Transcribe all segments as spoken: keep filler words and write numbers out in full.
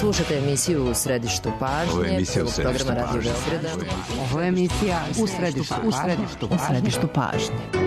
Slušate emisiju U središtu pažnje. Ovo je emisija U središtu pažnje. Ovo je emisija U središtu, u središtu, u središtu pažnje.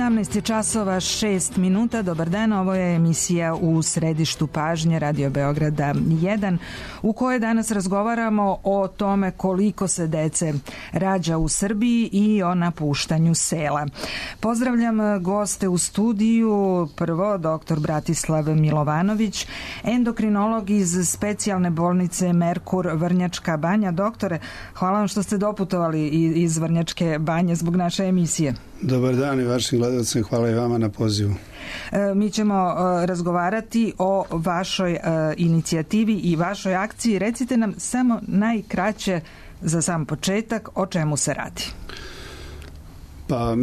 sedamnaest časova šest minuta. Dobar dan, ovo je emisija U središtu pažnje Radio Beograda jedan, u kojoj danas razgovaramo o tome koliko se dece rađa u Srbiji i o napuštanju sela. Pozdravljam goste u studiju. Prvo, doktor Bratislav Milovanović, endokrinolog iz specijalne bolnice Merkur Vrnjačka Banja. Doktore, hvala vam što ste doputovali iz Vrnjačke Banje zbog naše emisije. Dobar dan i vašim gledalcima, hvala i vama na pozivu. E, mi ćemo e, razgovarati o vašoj e, inicijativi i vašoj akciji. Recite nam samo najkraće za sam početak o čemu se radi. Pa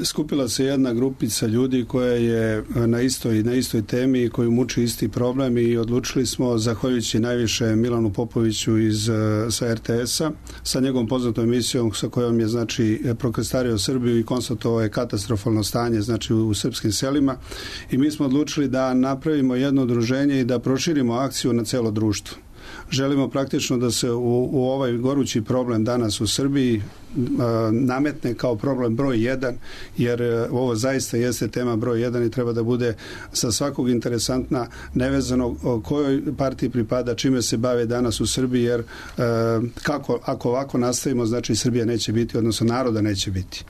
skupila se jedna grupica ljudi koja je na istoj, na istoj temi, koju muči isti problem i odlučili smo, zahvaljujući najviše Milanu Popoviću iz, sa er te esa, sa njegovom poznatom emisijom sa kojom je znači prokrstario Srbiju i konstatovao je katastrofalno stanje znači u, u srpskim selima, i mi smo odlučili da napravimo jedno udruženje i da proširimo akciju na celo društvo. Želimo praktično da se u, u ovaj gorući problem danas u Srbiji nametne kao problem broj jedan, jer ovo zaista jeste tema broj jedan i treba da bude sa svakog interesantna, nevezano o kojoj partiji pripada, čime se bave danas u Srbiji, jer kako, ako ovako nastavimo, znači Srbija neće biti, odnosno naroda neće biti.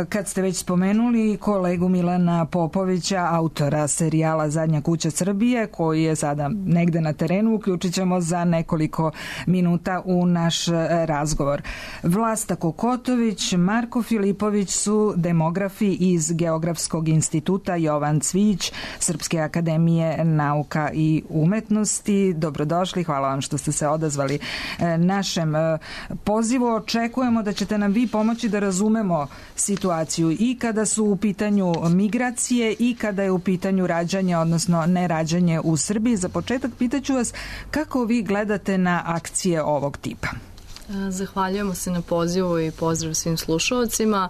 Kad ste već spomenuli kolegu Milana Popovića, autora serijala Zadnja kuća Srbije, koji je sada negde na terenu, uključit ćemo za nekoliko minuta u naš razgovor. Vlasta Kokotović, Marko Filipović su demografi iz Geografskog instituta Jovan Cvijić, Srpske akademije nauka i umetnosti. Dobrodošli, hvala vam što ste se odazvali našem pozivu. Očekujemo da ćete nam vi pomoći da razumemo situaciju i kada su u pitanju migracije i kada je u pitanju rađanje, odnosno nerađanje u Srbiji. Za početak pitaću vas kako vi gledate na akcije ovog tipa. Zahvaljujemo se na pozivu i pozdrav svim slušalcima.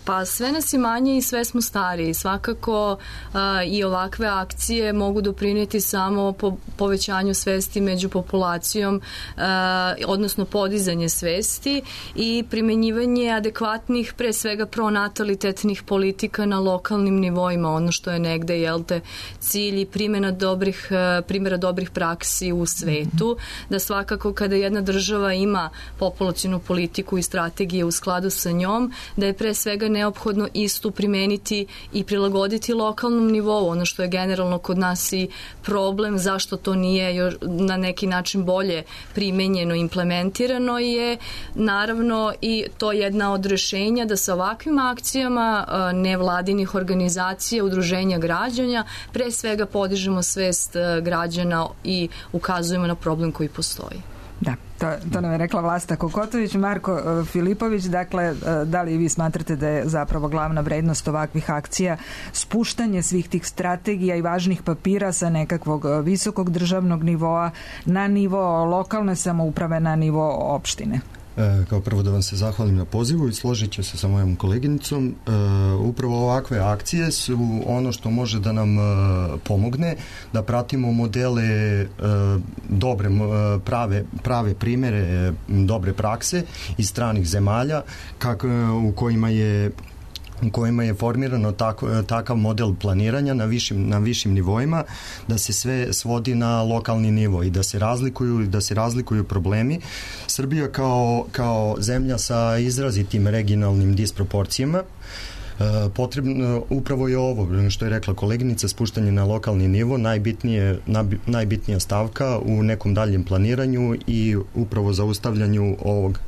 Pa sve nas je manje i sve smo stariji. Svakako i ovakve akcije mogu doprinijeti samo po povećanju svesti među populacijom, odnosno podizanje svesti i primenjivanje adekvatnih, pre svega pronatalitetnih politika na lokalnim nivoima, ono što je negde, jel te, cilj i primjena dobrih, primjera dobrih praksi u svetu, da svakako kada jedna država ima ima populacionu politiku i strategije u skladu sa njom, da je pre svega neophodno istu primeniti i prilagoditi lokalnom nivou. Ono što je generalno kod nas i problem, zašto to nije još na neki način bolje primenjeno, implementirano, je naravno i to jedna od rešenja da sa ovakvim akcijama nevladinih organizacija, udruženja građana, pre svega podižemo svest građana i ukazujemo na problem koji postoji. Da, to, to nam je rekla Vlasta Kokotović. Marko Filipović, dakle, da li vi smatrate da je zapravo glavna vrednost ovakvih akcija spuštanje svih tih strategija i važnih papira sa nekakvog visokog državnog nivoa na nivo lokalne samouprave, na nivo opštine? E, kao prvo da vam se zahvalim na pozivu i složit ću se sa mojom koleginicom. E, upravo ovakve akcije su ono što može da nam e, pomogne da pratimo modele e, dobre, e, prave, prave primere e, dobre prakse iz stranih zemalja kak, u kojima je u kojima je formirano tako, takav model planiranja na višim, na višim nivoima, da se sve svodi na lokalni nivo i da se razlikuju, da se razlikuju problemi. Srbija kao, kao zemlja sa izrazitim regionalnim disproporcijama, potrebno, upravo je ovo što je rekla koleginica, spuštanje na lokalni nivo, najbitnije, najbitnija stavka u nekom daljem planiranju i upravo zaustavljanju ovog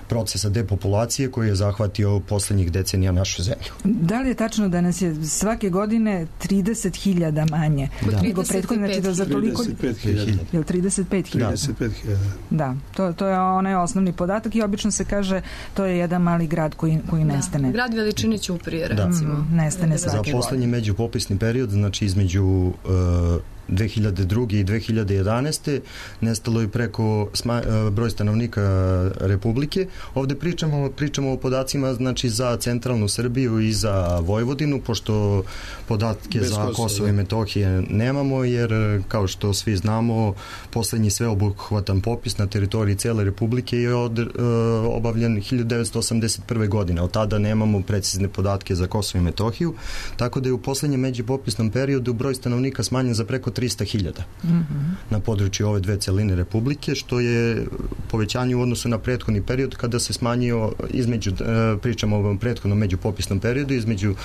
procesa depopulacije koji je zahvatio poslednjih decenija našu zemlju. Da li je tačno da nas je svake godine trideset hiljada manje da. nego prethodne, znači da za toliko... trideset pet hiljada. Je li trideset pet hiljada? trideset pet hiljada. Da, to, to je onaj osnovni podatak i obično se kaže to je jedan mali grad koji, koji da. nestane. Grad veličine Ćuprije, recimo. Mm, nestane svake godine. Za poslednji međupopisni period, znači između uh, dve hiljade druge i dve hiljade jedanaeste nestalo je preko sma, broj stanovnika Republike. Ovde pričamo, pričamo o podacima znači za centralnu Srbiju i za Vojvodinu, pošto podatke Bez za Kosovo, Kosovo i Metohije nemamo, jer kao što svi znamo, poslednji sveobuhvatan popis na teritoriji cele Republike je od, uh, obavljen hiljadu devetsto osamdeset prve. godine. Od tada nemamo precizne podatke za Kosovo i Metohiju, tako da je u poslednjem međupopisnom periodu broj stanovnika smanjen za preko trista hiljada mm-hmm. na području ove dve celine Republike, što je povećanje u odnosu na prethodni period kada se smanjio između, pričamo o ovom prethodnom međupopisnom periodu, između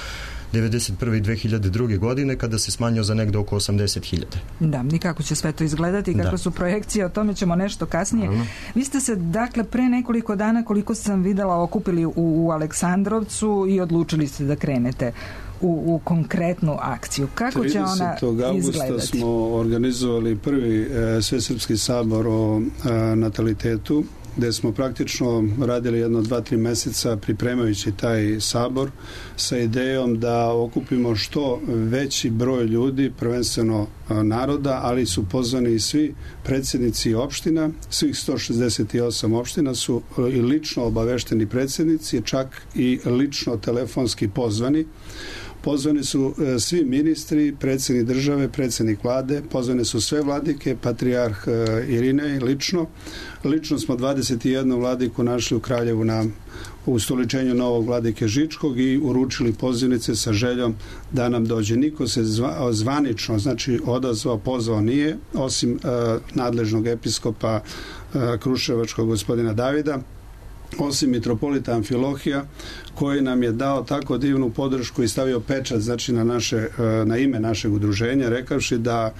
devedeset prve i dve hiljade druge. godine kada se smanjio za negde oko osamdeset hiljada. Da, i kako će sve to izgledati i kako da. su projekcije, o tome ćemo nešto kasnije. Ano. Vi ste se, dakle, pre nekoliko dana, koliko sam videla, okupili u, u Aleksandrovcu i odlučili ste da krenete u, u konkretnu akciju. Kako će ona izgledati? tridesetog avgusta smo organizovali prvi e, Svesrpski sabor o e, natalitetu, gde smo praktično radili jedno dva, tri meseca pripremajući taj sabor sa idejom da okupimo što veći broj ljudi, prvenstveno naroda, ali su pozvani i svi predsjednici opština, svih sto šezdeset osam opština su i lično obavešteni predsjednici, čak i lično telefonski pozvani. Pozvani su e, svi ministri, predsjednik države, predsjednik vlade, pozvane su sve vladike, patrijarh e, Irinej lično. Lično smo dvadeset jednu vladiku našli u Kraljevu na ustoličenju novog vladike Žičkog i uručili pozivnice sa željom da nam dođe. Niko se zva, zvanično, znači odazvao, pozvao nije, osim e, nadležnog episkopa e, Kruševačkog gospodina Davida, osim mitropolita Amfilohija, koji nam je dao tako divnu podršku i stavio pečat, znači na, naše, na ime našeg udruženja, rekavši da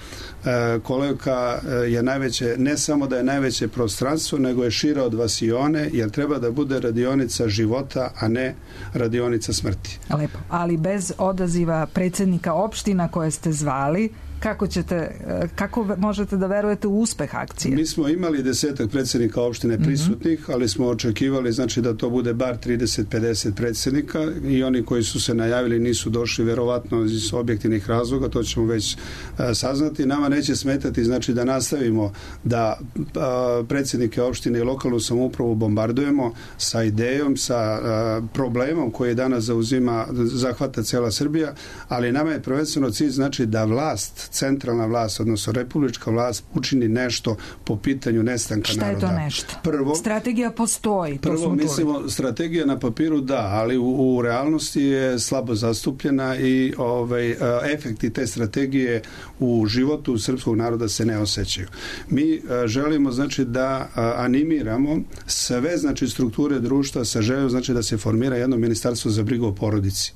kolevka je najveće, ne samo da je najveće prostranstvo, nego je šira od vasione, jer treba da bude radionica života, a ne radionica smrti. Lepo, ali bez odaziva predsjednika opština koje ste zvali, kako ćete, kako možete da verujete u uspeh akcije? Mi smo imali desetak predsjednika opštine prisutnih, mm-hmm. ali smo očekivali znači da to bude bar trideset pedeset predsjednika i oni koji su se najavili nisu došli verovatno iz objektivnih razloga, to ćemo već a, saznati. Nama neće smetati znači da nastavimo da a, predsjednike opštine i lokalnu samoupravu bombardujemo sa idejom, sa a, problemom koji danas zauzima, zahvata cela Srbija, ali nama je prvenstveno cilj znači da vlast, centralna vlast, odnosno republička vlast učini nešto po pitanju nestanka Šta naroda. Šta je to nešto? Prvo, strategija postoji. To prvo mislimo, strategija na papiru da, ali u, u realnosti je slabo zastupljena i ovaj, efekti te strategije u životu srpskog naroda se ne osjećaju. Mi a, želimo znači da a, animiramo sve znači strukture društva sa željom znači da se formira jedno ministarstvo za brigu o porodici.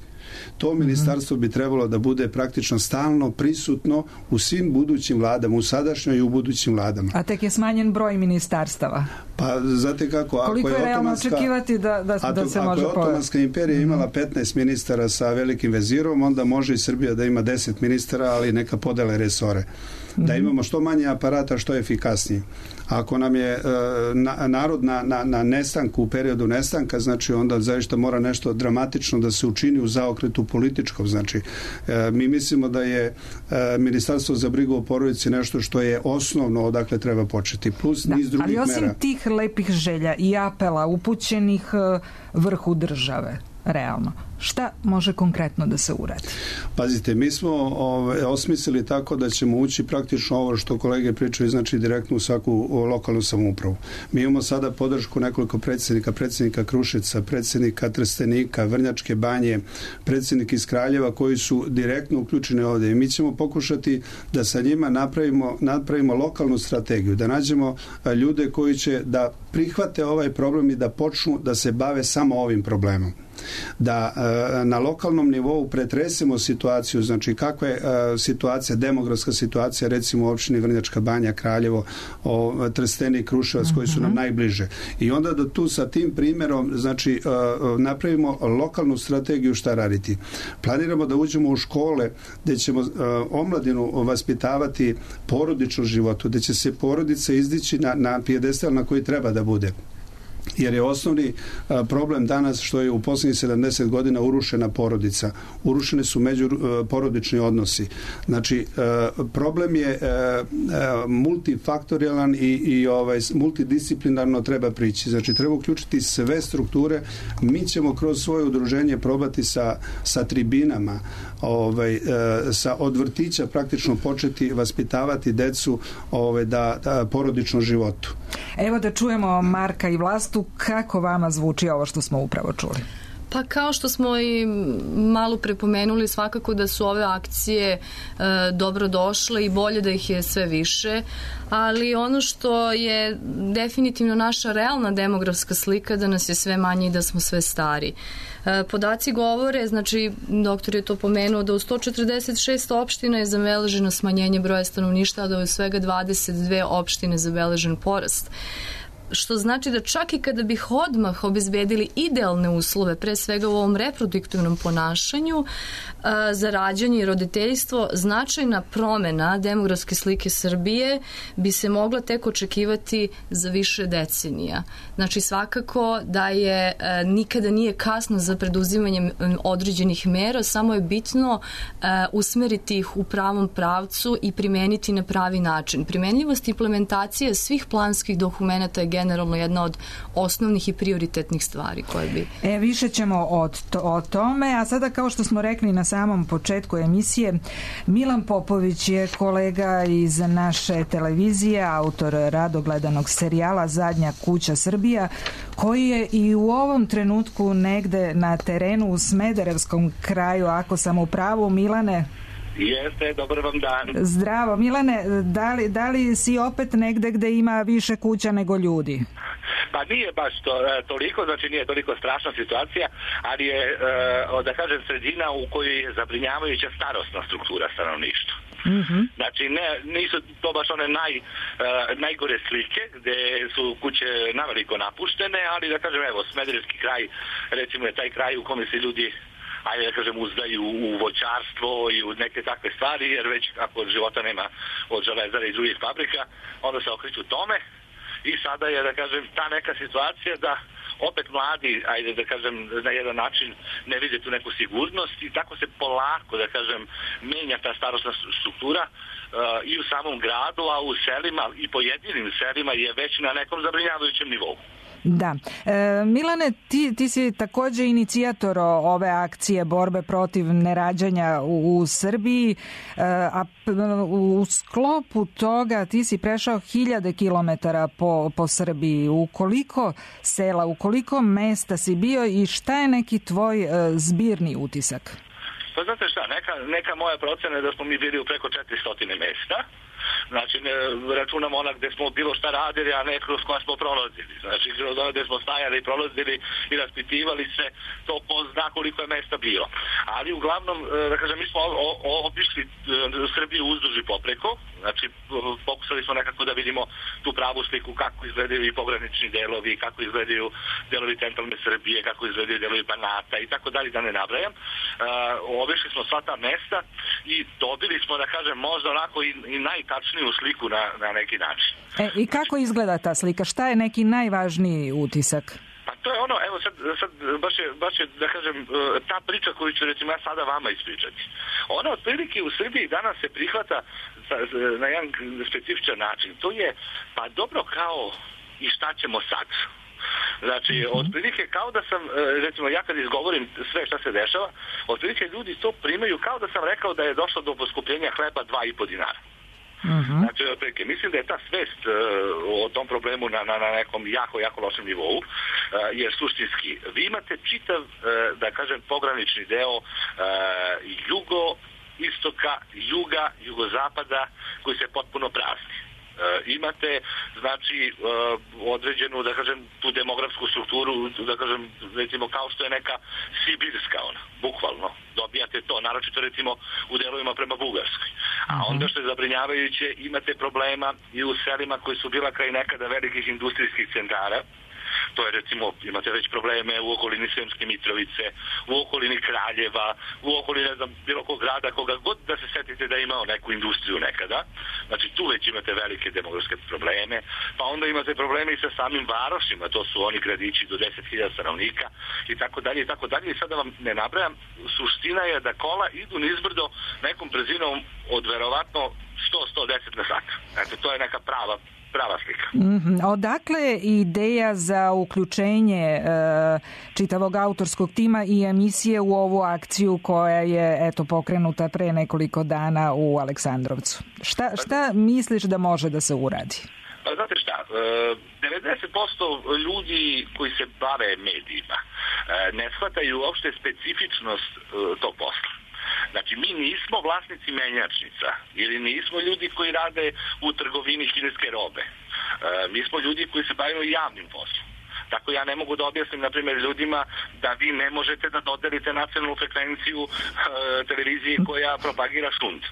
To ministarstvo bi trebalo da bude praktično stalno prisutno u svim budućim vladama, u sadašnjoj i u budućim vladama. A tek je smanjen broj ministarstava. Pa znate kako, ako koliko je, je realno otomanska, očekivati da, da, to, da se ako može je Otomanska imperija imala petnaest ministara sa velikim vezirom, onda može i Srbija da ima deset ministara, ali neka podele resore. da imamo što manje aparata, što efikasnije. Ako nam je na, narod na, na, na nestanku, u periodu nestanka, znači onda zaista mora nešto dramatično da se učini u zaokretu političkom. Znači, mi mislimo da je Ministarstvo za brigu o porodici nešto što je osnovno odakle treba početi, plus da, niz drugih mera. Ali osim mera. Tih lepih želja i apela upućenih vrhu države, realno, šta može konkretno da se uradi? Pazite, mi smo ove, osmislili tako da ćemo ući praktično ovo što kolege pričaju, znači direktno u svaku lokalnu samoupravu. Mi imamo sada podršku nekoliko predsjednika, predsjednika Kruševca, predsjednika Trstenika, Vrnjačke Banje, predsjednik iz Kraljeva koji su direktno uključeni ovdje. I mi ćemo pokušati da sa njima napravimo, napravimo lokalnu strategiju, da nađemo ljude koji će da prihvate ovaj problem i da počnu da se bave samo ovim problemom. Da e, na lokalnom nivou pretresemo situaciju, znači kakva je e, situacija, demografska situacija recimo u opštini Vrnjačka Banja, Kraljevo, o, Trstenik, Kruševac, koji su nam najbliže. I onda da tu sa tim primjerom znači e, napravimo lokalnu strategiju šta raditi. Planiramo da uđemo u škole gdje ćemo e, omladinu vaspitavati porodičnom životu, gdje će se porodica izdići na, na pijedestal na koji treba da bude. Jer je osnovni a, problem danas što je u posljednjih sedamdeset godina urušena porodica. Urušene su međuporodični odnosi. Znači, a, problem je a, a, multifaktorijalan i, i ovaj, multidisciplinarno treba prići. Znači, treba uključiti sve strukture. Mi ćemo kroz svoje udruženje probati sa, sa tribinama, ovaj, a, sa od vrtića praktično početi vaspitavati decu ovaj, da, da porodičnom životu. Evo da čujemo Marka i Vlastu, kako vama zvuči ovo što smo upravo čuli? Pa kao što smo i malo prepomenuli, svakako da su ove akcije e, dobro došle i bolje da ih je sve više, ali ono što je definitivno naša realna demografska slika da nas je sve manje i da smo sve stari. E, podaci govore, znači doktor je to pomenuo, da u sto četrdeset šest opština je zabeleženo smanjenje broja stanovništva, a da je u svega dvadeset dve opštine zabeležen porast. Što znači da čak i kada bih odmah obezbedili idealne uslove, pre svega u ovom reproduktivnom ponašanju, a, za rađanje i roditeljstvo, značajna promena demografske slike Srbije bi se mogla tek očekivati za više decenija. Znači svakako da je a, nikada nije kasno za preduzimanje određenih mera, samo je bitno a, usmeriti ih u pravom pravcu i primeniti na pravi način. Primenljivost implementacije svih planskih dokumenata je generalno jedna od osnovnih i prioritetnih stvari koje bi... E, više ćemo od to, o tome, a sada kao što smo rekli na samom početku emisije, Milan Popović je kolega iz naše televizije, autor rado gledanog serijala Zadnja kuća Srbija, koji je i u ovom trenutku negde na terenu u Smederevskom kraju, ako sam u pravu, Milane. Jeste, dobar vam dan. Zdravo. Milane, da li, da li si opet negde gde ima više kuća nego ljudi? Pa nije baš to, toliko, znači nije toliko strašna situacija, ali je, da kažem, sredina u kojoj je zabrinjavajuća starosna struktura stanovništva. Mm-hmm. Znači ne, nisu to baš one naj, najgore slike gde su kuće naveliko napuštene, ali da kažem, evo, Smederevski kraj, recimo je taj kraj u kome se ljudi, ajde da kažem, uzdaju u voćarstvo i u neke takve stvari, jer već ako života nema od železara i drugih fabrika, onda se okreću tome i sada je, da kažem, ta neka situacija da opet mladi, ajde da kažem, na jedan način ne vide tu neku sigurnost i tako se polako, da kažem, menja ta starosna struktura uh, i u samom gradu, a u selima i pojedinim selima je već na nekom zabrinjavajućem nivou. Da. E, Milane, ti, ti si takođe inicijator ove akcije borbe protiv nerađanja u, u Srbiji, e, a u sklopu toga ti si prešao hiljade kilometara po, po Srbiji. U koliko sela, u koliko mesta si bio i šta je neki tvoj e, zbirni utisak? Pa znate šta, neka, neka moja procena je da smo mi bili u preko četiristo mesta. Znači, ne, računamo ona gde smo bilo šta radili, a ne kroz koja smo prolazili. Znači, kroz ona gde smo stajali, prolazili i raspitivali se, to ko zna koliko je mesta bilo. Ali uglavnom, da kažem, mi smo obišli Srbiju uzduž i popreko, znači, pokušali smo nekako da vidimo tu pravu sliku kako izgledaju i pogranični delovi, kako izgledaju delovi centralne Srbije, kako izgledaju delovi Banata i tako dalje, da ne nabrajam. Obišli smo sva ta mesta i dobili smo, da kažem, možda onako i, i najtačniju sliku na, na neki način. E, i kako izgleda ta slika? Šta je neki najvažniji utisak? Pa to je ono, evo sad, sad baš, je, baš je, da kažem, ta priča koju ću recimo ja sada vama ispričati. Ona otprilike u Srbiji danas se prihvata na jedan specifičan način. To je, pa dobro, kao i šta ćemo sad? Znači, otprilike kao da sam, recimo ja kad izgovorim sve šta se dešava, otprilike ljudi to primaju kao da sam rekao da je došlo do poskupljenja hleba dva i po dinara. Uh-huh. Znači, otprilike, mislim da je ta svest uh, o tom problemu na, na, na nekom jako, jako lošem nivou, uh, jer suštinski, vi imate čitav, uh, da kažem, pogranični deo uh, jugo, istoka, juga, jugozapada, koji se potpuno prazni. Uh, imate, znači, uh, određenu, da kažem, tu demografsku strukturu, da kažem, recimo, kao što je neka sibirska ona, bukvalno. Dobijate to, naročito, recimo, u delovima prema Bugarskoj. A onda što je zabrinjavajuće, imate problema i u selima koji su bila kraj nekada velikih industrijskih centara. To je, recimo, imate već probleme u okolini Sremske Mitrovice, u okolini Kraljeva, u okolini, ne znam, bilo kog grada, koga god da se setite da je imao neku industriju nekada. Znači, tu već imate velike demografske probleme. Pa onda imate probleme i sa samim varošima, to su oni gradići do deset hiljada stanovnika i tako dalje i tako dalje. I sada vam ne nabrajam, suština je da kola idu nizbrdo nekom brzinom od verovatno sto do sto deset na sat. Eto, to je neka prava prava slika. Mm-hmm. Odakle je ideja za uključenje e, čitavog autorskog tima i emisije u ovu akciju koja je eto pokrenuta pre nekoliko dana u Aleksandrovcu? Šta, šta misliš da može da se uradi? Pa znate šta, devedeset posto ljudi koji se bave medijima ne shvataju uopšte specifičnost tog posla. Znači, mi nismo vlasnici menjačnica ili nismo ljudi koji rade u trgovini kineske robe. E, mi smo ljudi koji se bavimo javnim poslom. Tako ja ne mogu da objasnim, na primjer, ljudima da vi ne možete da dodelite nacionalnu frekvenciju e, televiziji koja propagira šund.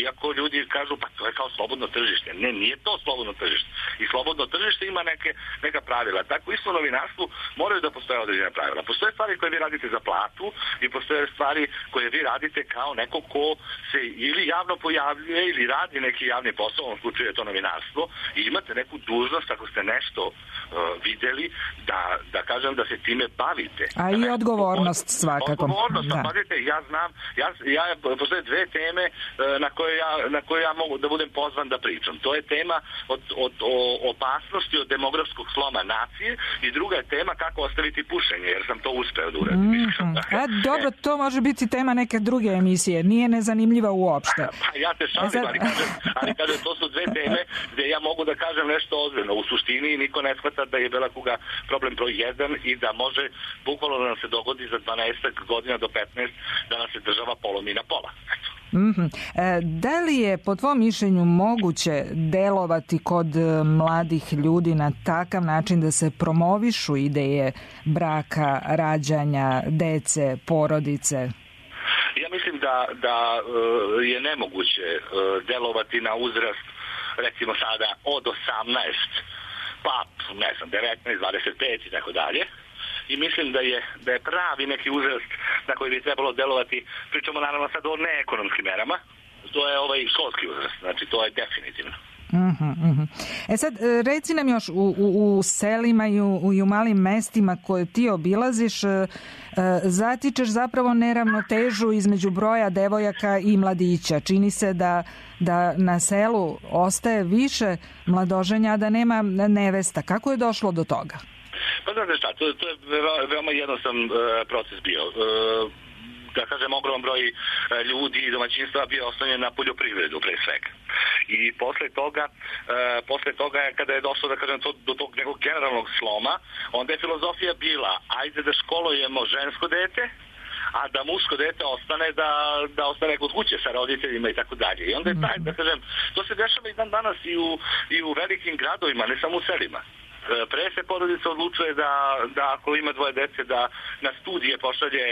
Iako ljudi kažu, pa to je kao slobodno tržište. Ne, nije to slobodno tržište. I slobodno tržište ima neke, neka pravila. Tako isto u novinarstvu moraju da postoje određene pravila. Postoje stvari koje vi radite za platu i postoje stvari koje vi radite kao neko ko se ili javno pojavljuje ili radi neki javni posao, u ovom slučaju je to novinarstvo, i imate neku dužnost, ako ste nešto uh, videli, da, da kažem da se time bavite. A i odgovornost svakako. Odgovornost, da. Pazite, ja znam, ja, ja, postoje dve teme uh, na koje ja, na koje ja mogu da budem pozvan da pričam. To je tema od, od, o opasnosti od demografskog sloma nacije i druga je tema kako ostaviti pušenje, jer sam to uspeo da uradim. Mm-hmm. A dobro, to može biti tema neke druge emisije. Nije nezanimljiva uopšte. Pa ja te šalim, ali kažem, ali kažem, to su dve teme gde ja mogu da kažem nešto ozbiljno. U suštini niko ne shvata da je Bela kuga problem broj jedan i da može bukvalno da nam se dogodi za dvanaest godina do petnaest da nas se država polomi na pola. Eto. Mm-hmm. E, da li je po tvom mišljenju moguće delovati kod mladih ljudi na takav način da se promovišu ideje braka, rađanja, dece, porodice? Ja mislim da, da uh, je nemoguće uh, delovati na uzrast, recimo sada od osamnaest pa ne znam devetnaest, dvadeset pet i tako dalje. I mislim da je, da je pravi neki uzrast na koji bi trebalo delovati, pričamo naravno sad o neekonomskim merama, to je ovaj školski uzrast, znači to je definitivno. Uh-huh, uh-huh. E sad, reci nam još, u, u, u selima i u, i u malim mestima koje ti obilaziš, uh, zatičeš zapravo neravnotežu između broja devojaka i mladića. Čini se da, da na selu ostaje više mladoženja, a da nema nevesta. Kako je došlo do toga? Pa znate šta, to, to je veoma jednostavan uh, proces bio. Uh, da kažem, ogroman broj uh, ljudi i domaćinstva bio oslonjen na poljoprivredu pre svega. I posle toga, uh, posle toga kada je došlo, da kažem, to, do tog nekog generalnog sloma, onda je filozofija bila, ajde da školujemo žensko dete, a da muško dete ostane da, da ostane kod kuće sa roditeljima i tako dalje. I onda je taj, da kažem, to se dešava i dan danas i u, i u velikim gradovima, ne samo u selima. Pre se porodica odlučuje da, da ako ima dvoje dece da na studije pošalje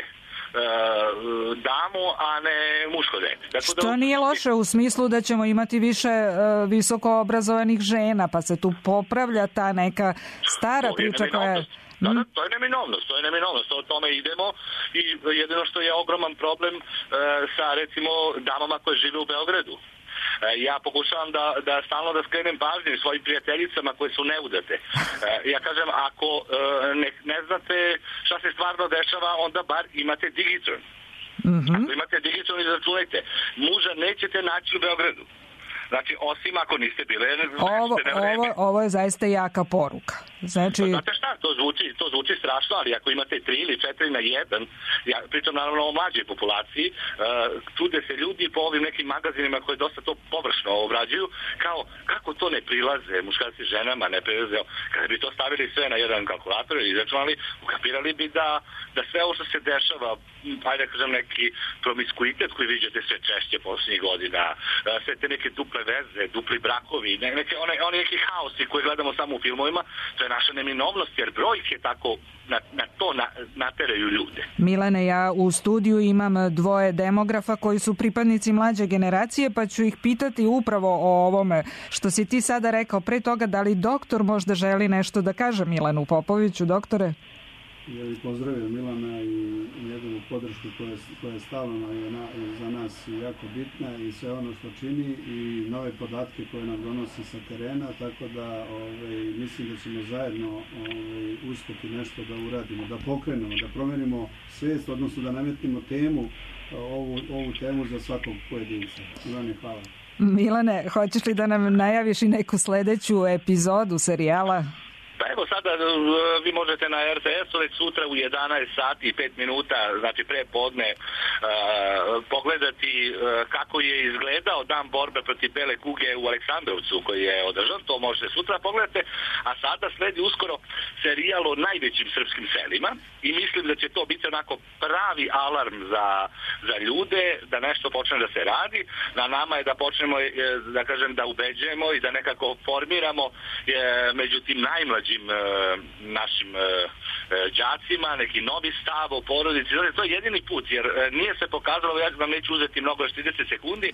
damu, a ne muško dete. Dakle, što da... nije loše u smislu da ćemo imati više uh, visoko obrazovanih žena, pa se tu popravlja ta neka stara priča koja je... Da, da, to je neminovnost, to je neminovnost, o tome idemo i jedino što je ogroman problem e, sa recimo damama koje žive u Beogradu. E, ja pokušavam da, da stalno da skrenem pažnju svojim prijateljicama koje su neudate. E, ja kažem, ako e, ne, ne znate šta se stvarno dešava, onda bar imate Digitron. Mm-hmm. Ako imate Digitron, izračunajte. Muža nećete naći u Beogradu. Znači, osim ako niste bile ovo, ovo, ovo je zaista jaka poruka. Znači... Pa, znate šta, to zvuči, to zvuči strašno, ali ako imate tri ili četiri na jedan, ja pričam naravno o mlađoj populaciji, uh, čude se ljudi po ovim nekim magazinima koji dosta to površno obrađuju, kao kako to ne prilaze muškarci ženama, ne prilaze. Kada bi to stavili sve na jedan kalkulator i izračunali, ukapirali bi da, da sve ovo što se dešava, ajde da kažem neki promiskuitet koji viđate sve češće posljednjih godina, uh, sve te neke duple veze, dupli brakovi, neke, one, one neki haosi koje gledamo samo u filmovima, to je naša neminovnost, jer brojke tako na, na to na, nateraju ljude. Milane, ja u studiju imam dvoje demografa koji su pripadnici mlađe generacije, pa ću ih pitati upravo o ovome što si ti sada rekao. Pre toga, da li doktor možda želi nešto da kaže Milanu Popoviću, doktore? Ja bih pozdravio Milana i njegovu podršku koja, koja je stalno je na, za nas jako bitna i sve ono što čini i nove podatke koje nam donosi sa terena, tako da ovaj, mislim da ćemo zajedno ovaj, uspjeti nešto da uradimo, da pokrenemo, da promenimo svijest, odnosno da nametnemo temu, ovu, ovu temu za svakog pojedinca. Milane, hvala. Milane, hoćeš li da nam najaviš i neku sledeću epizodu serijala? Pa evo sada vi možete na er te esu već sutra u jedanaest sati i pet minuta, znači pre podne, uh, pogledati uh, kako je izgledao dan borbe protiv bele kuge u Aleksandrovcu koji je održan, to možete sutra pogledati, a sada sledi uskoro serijal o najvećim srpskim selima i mislim da će to biti onako pravi alarm za, za ljude, da nešto počne da se radi, na nama je da počnemo, da kažem, da ubeđujemo i da nekako formiramo je, među tim najmlađim našim đacima, neki novi stav o porodici. To je jedini put, jer nije se pokazalo, ja vam neću uzeti mnogo, još trideset sekundi,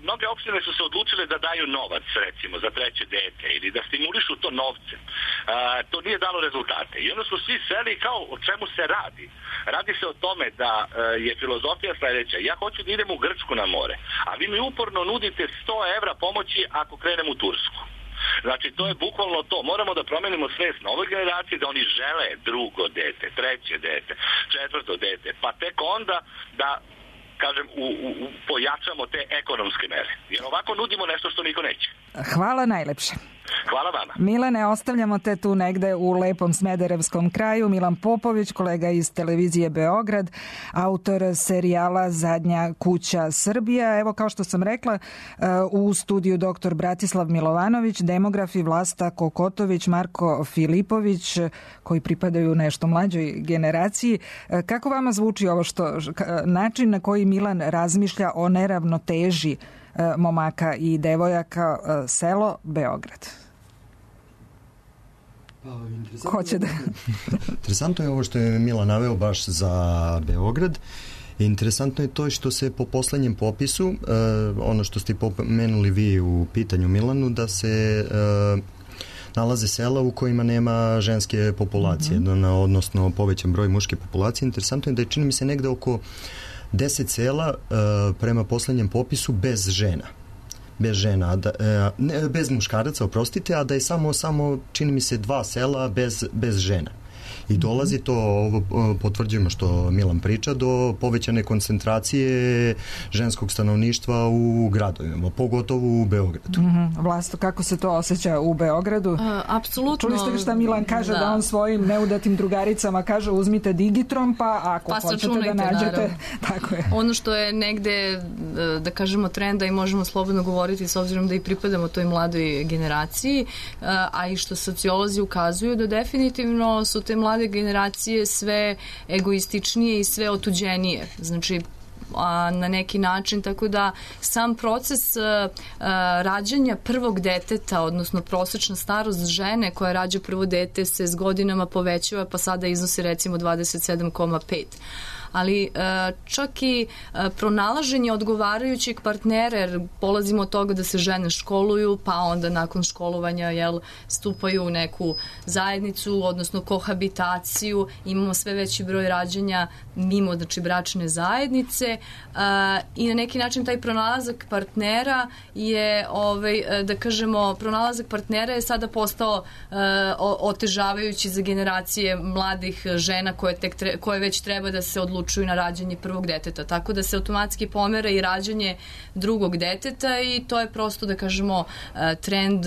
mnoge opštine su se odlučile da daju novac, recimo, za treće dete ili da stimulišu to novce. To nije dalo rezultate. I onda su svi seli kao o čemu se radi. Radi se o tome da je filozofija sledeća. Ja hoću da idem u Grčku na more, a vi mi uporno nudite sto evra pomoći ako krenem u Tursku. Znači, to je bukvalno to. Moramo da promenimo svest nove generacije da oni žele drugo dete, treće dete, četvrto dete, pa tek onda da, kažem, u, u, pojačamo te ekonomske mere. Jer ovako nudimo nešto što niko neće. Hvala najlepše. Hvala vama. Milane, ostavljamo te tu negde u lepom smederevskom kraju. Milan Popović, kolega iz televizije Beograd, autor serijala Zadnja kuća Srbija. Evo, kao što sam rekla, u studiju doktor Bratislav Milovanović, demografi Vlasta Kokotović, Marko Filipović, koji pripadaju nešto mlađoj generaciji. Kako vama zvuči ovo što, način na koji Milan razmišlja o neravnoteži momaka i devojaka, selo Beograd? Pa, Hoće da... Interesantno je ovo što je Milan naveo baš za Beograd. Interesantno je to što se po poslednjem popisu, uh, ono što ste pomenuli vi u pitanju Milanu, da se uh, nalaze sela u kojima nema ženske populacije, mm-hmm. odnosno povećan broj muške populacije. Interesantno je da je, čini mi se, negde oko deset sela uh, prema poslednjem popisu bez žena. Bez žena, da, uh, ne, bez muškaraca, oprostite, a da je samo, samo čini mi se, dva sela bez, bez žena. I dolazi to, ovo potvrđujemo što Milan priča, do povećane koncentracije ženskog stanovništva u gradovima, pogotovo u Beogradu. Mm-hmm. Vlasto, kako se to osjeća u Beogradu? A, apsolutno. Čuli ste šta Milan kaže, da. da on svojim neudatim drugaricama kaže uzmite Digitron, pa ako pa hoćete da nađete... Tako je. Ono što je negde, da kažemo, trenda i možemo slobodno govoriti s obzirom da i pripadamo toj mladoj generaciji, a i što sociolozi ukazuju da definitivno su te mlade generacije sve egoističnije i sve otuđenije. Znači, a, na neki način, tako da sam proces a, a, rađanja prvog deteta, odnosno prosečna starost žene koja rađa prvo dete se s godinama povećava, pa sada iznosi recimo dvadeset sedam zarez pet. Ali čak i pronalaženje odgovarajućeg partnera, jer polazimo od toga da se žene školuju, pa onda nakon školovanja jel, stupaju u neku zajednicu, odnosno kohabitaciju, imamo sve veći broj rađanja mimo znači, bračne zajednice i na neki način taj pronalazak partnera je, ovaj, da kažemo, pronalazak partnera je sada postao otežavajući za generacije mladih žena koje, tek tre, koje već treba da se odlučuju na rađanje prvog deteta. Tako da se automatski pomera i rađanje drugog deteta i to je prosto, da kažemo, trend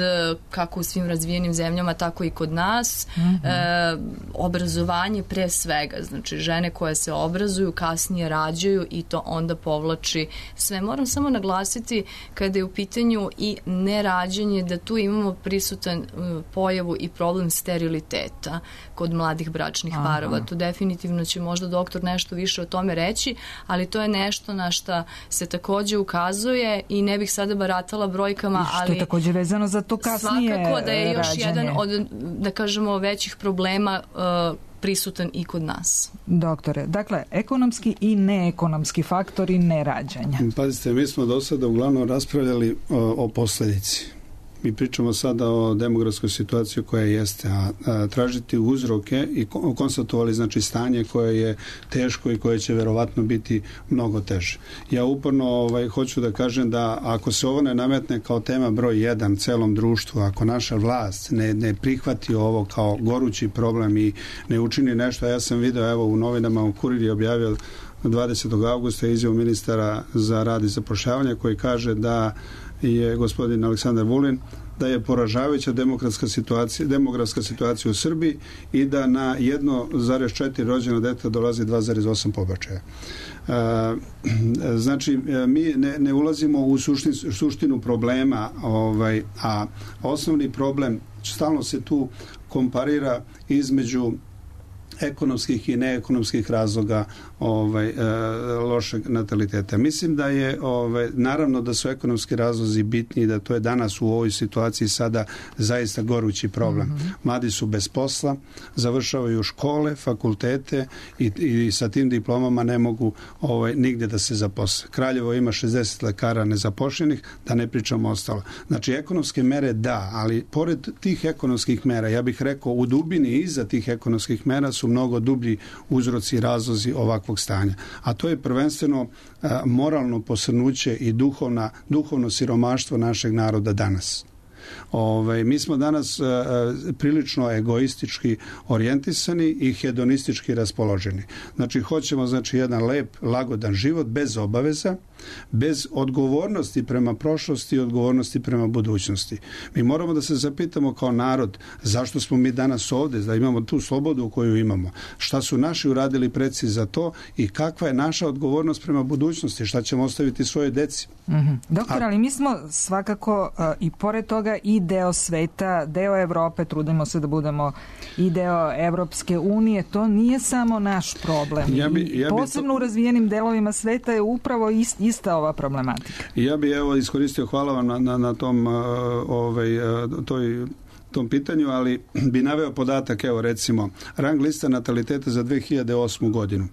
kako u svim razvijenim zemljama, tako i kod nas. Mm-hmm. E, obrazovanje pre svega. Znači, žene koje se obrazuju, kasnije rađaju i to onda povlači sve. Moram samo naglasiti kada je u pitanju i nerađanje da tu imamo prisutan pojavu i problem steriliteta kod mladih bračnih Aha. parova. Tu definitivno će možda doktor nešto više o tome reći, ali to je nešto na šta se takođe ukazuje i ne bih sada baratala brojkama, ali... I što je takođe vezano za to kasnije svakako da je još rađanje. Jedan od, da kažemo, većih problema uh, prisutan i kod nas. Doktore, dakle, ekonomski i neekonomski faktori nerađanja. Pazite, mi smo do sada uglavnom raspravljali o, o posledici. Mi pričamo sada o demografskoj situaciji koja jeste, a, a tražiti uzroke i konstatovali znači stanje koje je teško i koje će verovatno biti mnogo teže. Ja uporno ovaj, hoću da kažem da ako se ovo ne nametne kao tema broj jedan celom društvu, ako naša vlast ne, ne prihvati ovo kao gorući problem i ne učini nešto, ja sam video evo u novinama u Kurir je objavio dvadesetog avgusta izjavu ministara za rad i zapošljavanje koji kaže da je gospodin Aleksandar Vulin da je poražavajuća demokratska situacija, demografska situacija u Srbiji i da na jedno zarez četiri rođeno dete dolazi dva zarez osam pobačaja. E, znači, mi ne, ne ulazimo u suštin, suštinu problema, ovaj, a osnovni problem, stalno se tu komparira između ekonomskih i neekonomskih razloga ovaj, e, lošeg nataliteta. Mislim da je, ovaj, naravno da su ekonomski razlozi bitni i da to je danas u ovoj situaciji sada zaista gorući problem. Mm-hmm. Mladi su bez posla, završavaju škole, fakultete i, i sa tim diplomama ne mogu ovaj, nigde da se zaposle. Kraljevo ima šezdeset lekara nezapošljenih, da ne pričamo ostalo. Znači, ekonomske mere da, ali pored tih ekonomskih mera, ja bih rekao, u dubini iza tih ekonomskih mera su mnogo dublji uzroci i razlozi ovakvog stanja. A to je prvenstveno a, moralno posrnuće i duhovna, duhovno siromaštvo našeg naroda danas. Ove, mi smo danas a, a, prilično egoistički orijentisani i hedonistički raspoloženi. Znači, hoćemo znači, jedan lep, lagodan život bez obaveza, bez odgovornosti prema prošlosti i odgovornosti prema budućnosti. Mi moramo da se zapitamo kao narod zašto smo mi danas ovde, da imamo tu slobodu koju imamo, šta su naši uradili preci za to i kakva je naša odgovornost prema budućnosti, šta ćemo ostaviti svoje deci. Mm-hmm. Doktor, ali mi smo svakako uh, i pored toga i deo sveta, deo Evrope, trudimo se da budemo i deo Evropske unije, to nije samo naš problem. Ja bi, ja bi posebno to... u razvijenim delovima sveta je upravo ist, ista ova problematika. Ja bih evo iskoristio, hvala vam na, na, na tom uh, ovaj, uh, toj tom pitanju, ali bi naveo podatak, evo recimo, rang lista nataliteta za dve hiljade osmu godinu.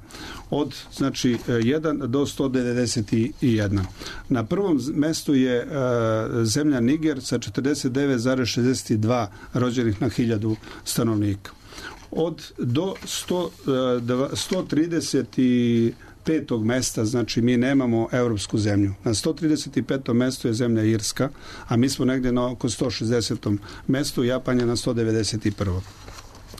Od, znači, jedan do sto devedeset jedan. Na prvom mestu je uh, zemlja Niger sa četrdeset devet zarez šezdeset dva rođenih na hiljadu stanovnika. Od do sto trideset petog mesta, znači mi nemamo evropsku zemlju. Na sto trideset petom mestu je zemlja Irska, a mi smo negde na oko sto šezdesetom mestu, Japan je na sto devedeset prvom.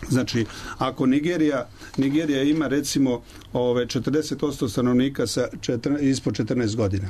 Znači, ako Nigerija, Nigerija ima recimo ove četrdeset posto stanovnika sa četrnaest, ispod četrnaest godina.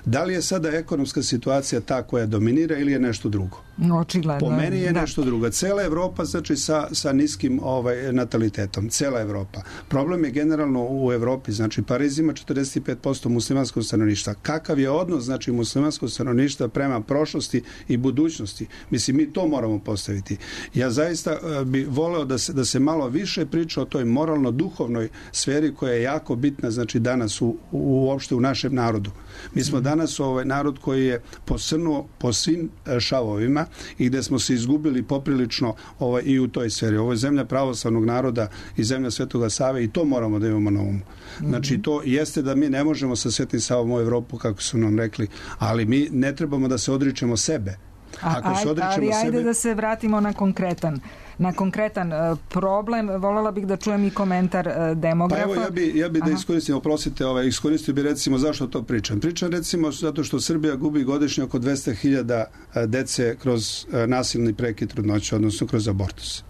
Da li je sada ekonomska situacija ta koja dominira ili je nešto drugo? Očigledno. Po meni je da. nešto drugo. Cela Evropa, znači sa, sa niskim ovaj, natalitetom. Cela Evropa. Problem je generalno u Evropi. Znači Pariz ima četrdeset pet posto muslimanskog stanovništva. Kakav je odnos znači muslimanskog stanovništva prema prošlosti i budućnosti? Mislim, mi to moramo postaviti. Ja zaista uh, bi voleo da se, da se malo više priča o toj moralno-duhovnoj sferi koja je jako bitna znači danas u, u, uopšte u našem narodu. Mi smo danas ovaj narod koji je posrnuo po svim šavovima i gde smo se izgubili poprilično ovaj, i u toj sferi. Ovo je zemlja pravoslavnog naroda i zemlja Svetoga Save i to moramo da imamo na umu. Znači to jeste da mi ne možemo sa Svetim Savom u Evropu, kako su nam rekli, ali mi ne trebamo da se odričemo sebe. Ako A, se odričemo ali ajde sebe... da se vratimo na konkretan na konkretan uh, problem. Voljela bih da čujem i komentar uh, demografa. Pa evo, ja bi, ja bi da iskoristim, oprostite, ovaj, iskoristio bi recimo zašto to pričam. Pričam recimo zato što Srbija gubi godišnje oko dvesta hiljada dece kroz uh, nasilni prekid trudnoće, odnosno kroz abortus.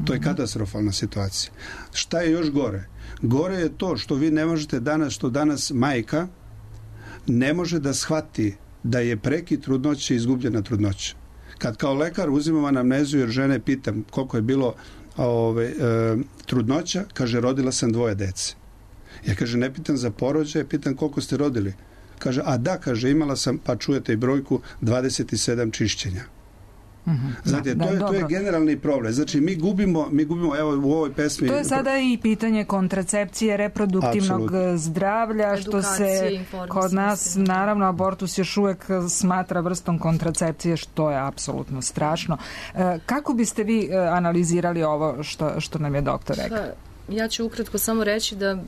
To je katastrofalna situacija. Šta je još gore? Gore je to što vi ne možete danas, što danas majka ne može da shvati da je prekid trudnoće izgubljena trudnoća. Kad kao lekar uzimam anamnezu jer žene pitam koliko je bilo ove, e, trudnoća, kaže rodila sam dvoje dece. Ja kaže ne pitam za porođaje, pitam koliko ste rodili. Kaže a da, kaže imala sam, pa čujete i brojku, dvadeset sedam čišćenja. Mm-hmm. Znate, da, to, je, to je generalni problem. Znači, mi gubimo, mi gubimo, evo u ovoj pesmi... To je sada i pitanje kontracepcije, reproduktivnog Absolutno. zdravlja, što se kod nas, naravno, abortus još uvek smatra vrstom kontracepcije, što je apsolutno strašno. Kako biste vi analizirali ovo što, što nam je doktor rekao? Ja ću ukratko samo reći da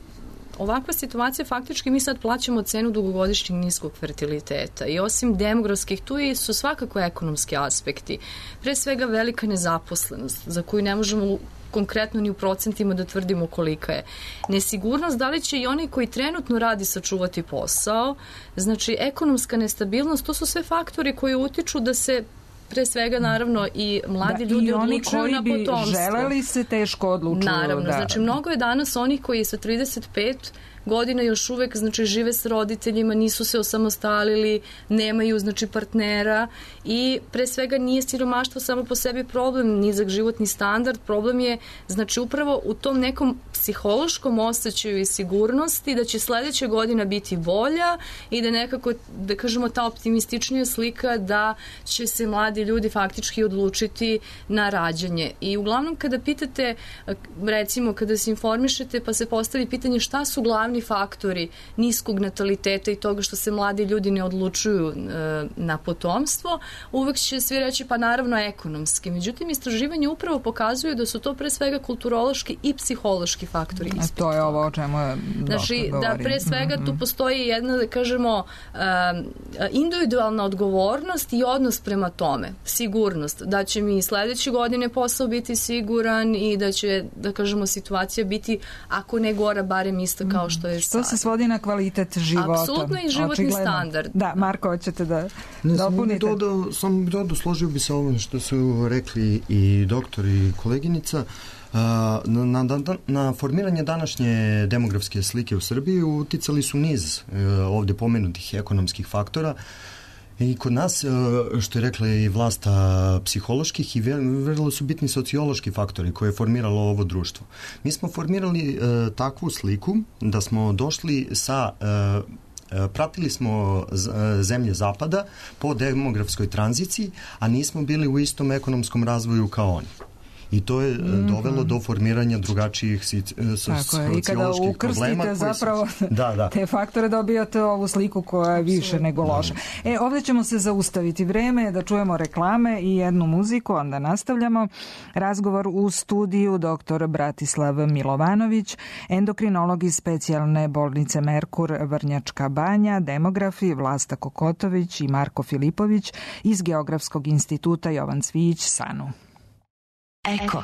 ovakva situacija, faktički mi sad plaćamo cenu dugogodišnjeg niskog fertiliteta i osim demografskih, tu su svakako ekonomski aspekti. Pre svega velika nezaposlenost, za koju ne možemo konkretno ni u procentima da tvrdimo kolika je. Nesigurnost, da li će i oni koji trenutno radi sačuvati posao, znači ekonomska nestabilnost, to su sve faktori koji utiču da se pre svega, naravno, i mladi da, ljudi odlučuju na potomstvo. I oni koji bi želeli se teško odlučuju. Naravno, da. Znači mnogo je danas onih koji sa trideset pet godina još uvek znači žive s roditeljima, nisu se osamostalili, nemaju znači partnera i pre svega nije siromaštvo samo po sebi problem, nizak životni standard, problem je znači upravo u tom nekom psihološkom osjećaju i sigurnosti da će sledeća godina biti bolja i da nekako, da kažemo, ta optimističnija slika da će se mladi ljudi faktički odlučiti na rađanje. I uglavnom kada pitate, recimo kada se informišete pa se postavi pitanje šta su glavni faktori niskog nataliteta i toga što se mladi ljudi ne odlučuju e, na potomstvo, uvek će svi reći pa naravno ekonomski. Međutim, istraživanje upravo pokazuju da su to pre svega kulturološki i psihološki faktori. A to je ovo o čemu je znači, da pre svega mm-hmm. tu postoji jedna, da kažemo, e, individualna odgovornost i odnos prema tome. Sigurnost. Da će mi sledeće godine posao biti siguran i da će, da kažemo, situacija biti, ako ne gora, barem ista kao što je što se svodi na kvalitet života. Apsolutno i životni Očigledno. standard. Da, Marko, hoćete da ne, dopunite? Sam dodao, sam dodao, složio bi se ovome što su rekli i doktor i koleginica. Na, na, na, na formiranje današnje demografske slike u Srbiji uticali su niz ovde pomenutih ekonomskih faktora. I kod nas, što je rekla i vlasta, psiholoških i vrlo su bitni sociološki faktori koje je formiralo ovo društvo. Mi smo formirali e, takvu sliku da smo došli sa... E, pratili smo zemlje zapada po demografskoj tranziciji, a nismo bili u istom ekonomskom razvoju kao oni. I to je mm-hmm. dovelo do formiranja drugačijih socioloških problema. I kada ukrstite zapravo su... da, da. te faktore dobijate ovu sliku koja je više nego loša. E, ovdje ćemo se zaustaviti. Vreme je da čujemo reklame i jednu muziku, onda nastavljamo. Razgovor u studiju doktor Bratislav Milovanović, endokrinolog iz specijalne bolnice Merkur Vrnjačka Banja, demografi Vlasta Kokotović i Marko Filipović iz Geografskog instituta Jovan Cvijić Sanu. Eko.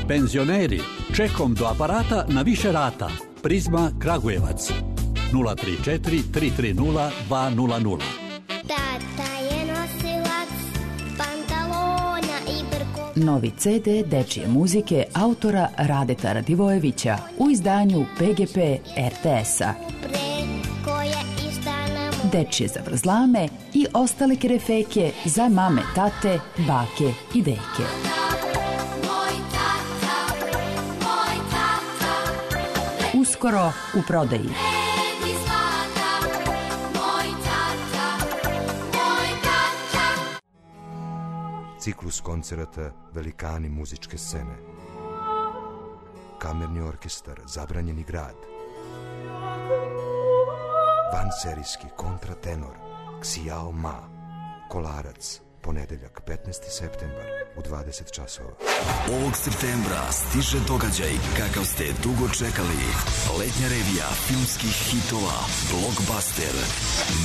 Penzioneri, čekom do aparata na više rata. Prizma Kragujevac. nula tri četiri tri tri nula dva nula nula. Tata je nosilac pantalona i brko. Novi ce de dečije muzike autora Radeta Radivojevića u izdanju pe ge pe er te esa. dečje zavrzlame i ostale kerefeke za mame, tate, bake i deke. Uskoro u prodaji. Ciklus koncerata Velikani muzičke scene. Kamerni orkestar Zabranjeni grad. Vanserijski kontratenor Xiao Ma. Kolarac, ponedeljak petnaesti septembar u dvadeset časova. Ovog septembra stiže događaj kakav ste dugo čekali. Letnja revija filmskih hitova, blockbuster,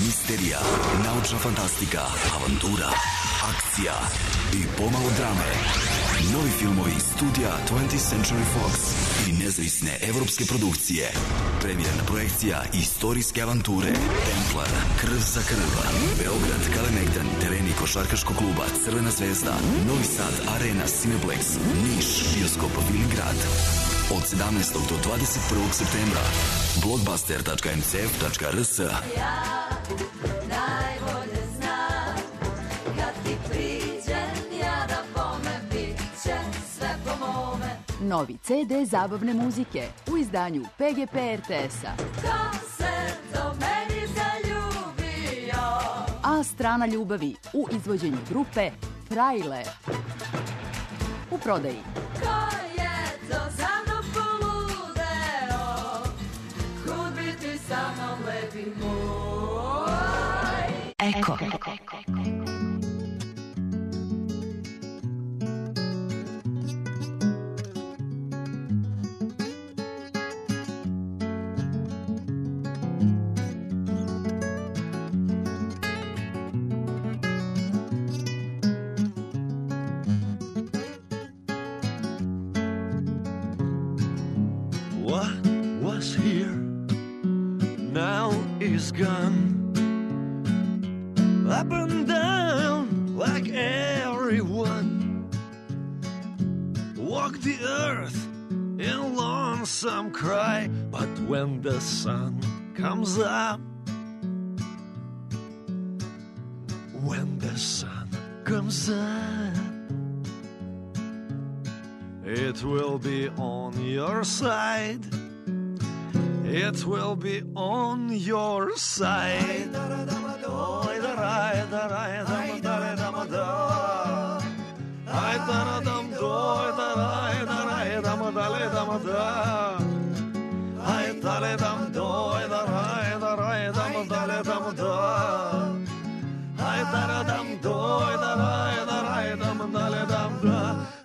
misterija, naučna fantastika, avantura, akcija i pomalo drame. Novi filmovi studija twentieth Century Fox i nezavisne evropske produkcije. Premijerna projekcija istorijske avanture Templar, Krv za krv, Beograd, Kalemegdan, tereni košarkaškog kluba Crvena zvezda, Novi Sad, Arena, Cineplex, Niš, bioskop Viligrad. Od sedamnaestog do dvadeset prvog septembra. blockbuster tačka m c f tačka r s. Novi ce de zabavne muzike u izdanju pe ge pe er te es-a. A strana ljubavi u izvođenju grupe Frajle. U prodaji. Eko. Gone up and down like everyone, walk the earth in lonesome cry, but when the sun comes up, when the sun comes up, it will be on your side. It will be on your side.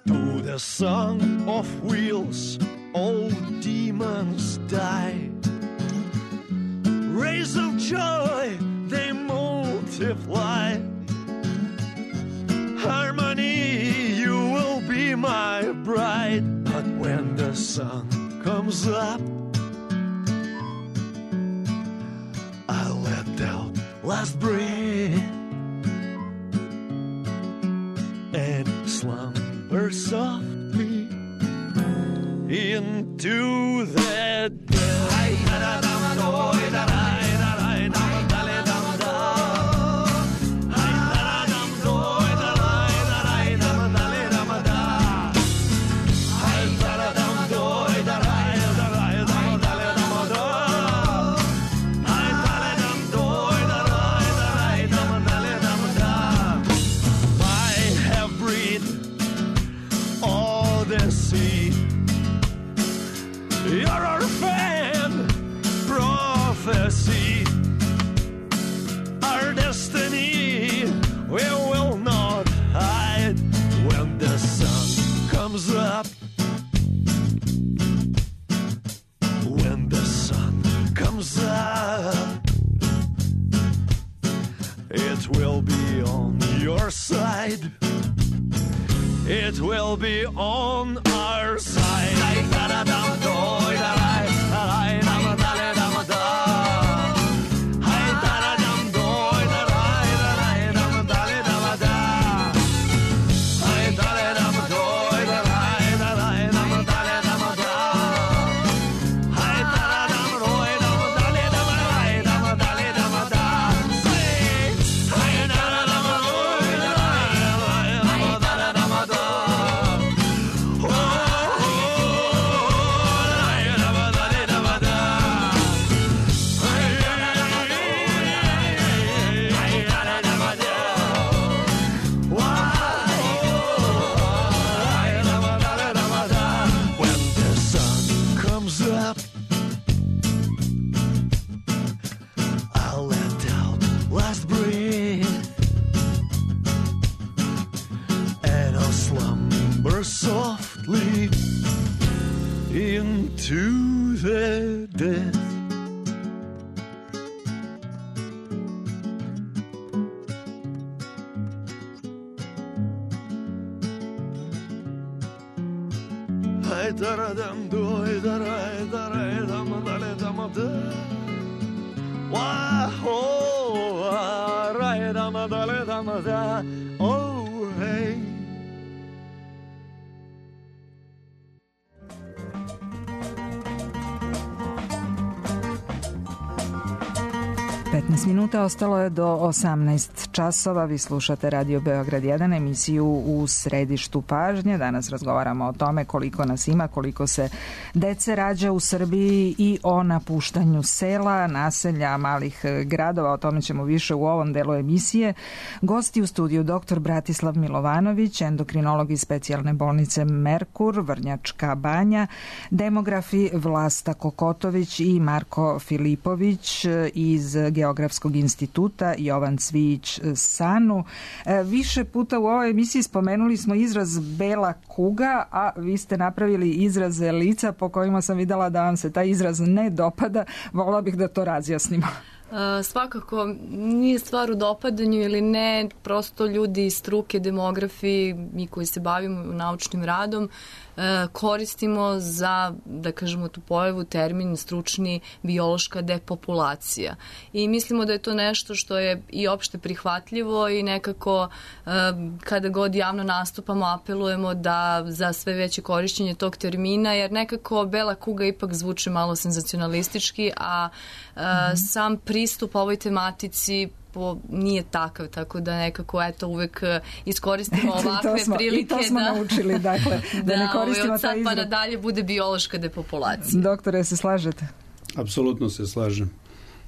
To the song of wheels, all demons die. Rays of joy, they multiply. Harmony, you will be my bride. But when the sun comes up, I'll let out last breath and slumber softly into the dead. Our destiny, we will not hide. When the sun comes up, when the sun comes up, it will be on your side. It will be on our side. whisper softly into their death. Ay daradam doy daray daray dam dale dam da. Wa ho ray dam dale dam da. Oh hey. petnaest minuta ostalo je do osamnaest časova. Vi slušate Radio Beograd jedan, emisiju U središtu pažnje. Danas razgovaramo o tome koliko nas ima, koliko se dece rađa u Srbiji i o napuštanju sela, naselja, malih gradova. O tome ćemo više u ovom delu emisije. Gosti u studiju doktor Bratislav Milovanović, endokrinolog iz specijalne bolnice Merkur, Vrnjačka Banja, demografi Vlasta Kokotović i Marko Filipović iz Geografskog instituta Jovan Cvijić Sanu. Više puta u ovoj emisiji spomenuli smo izraz bela kuga, a vi ste napravili izraze lica po kojima sam videla da vam se taj izraz ne dopada. Volila bih da to razjasnimo. Uh, svakako nije stvar u dopadanju ili ne, prosto ljudi iz struke, demografi, mi koji se bavimo naučnim radom, uh, koristimo za, da kažemo tu pojavu, termin stručni biološka depopulacija. I mislimo da je to nešto što je i opšte prihvatljivo i nekako uh, kada god javno nastupamo apelujemo da za sve veće korišćenje tog termina, jer nekako bela kuga ipak zvuči malo senzacionalistički, a uh, mm-hmm. sam pristup ovoj tematici po, nije takav, tako da nekako eto uvek iskoristimo ovakve smo, prilike. I to smo da, naučili, dakle, da, da ne koristimo od sad taj izraz. pa nadalje bude biološka depopulacija. Doktore, se slažete? Apsolutno se slažem.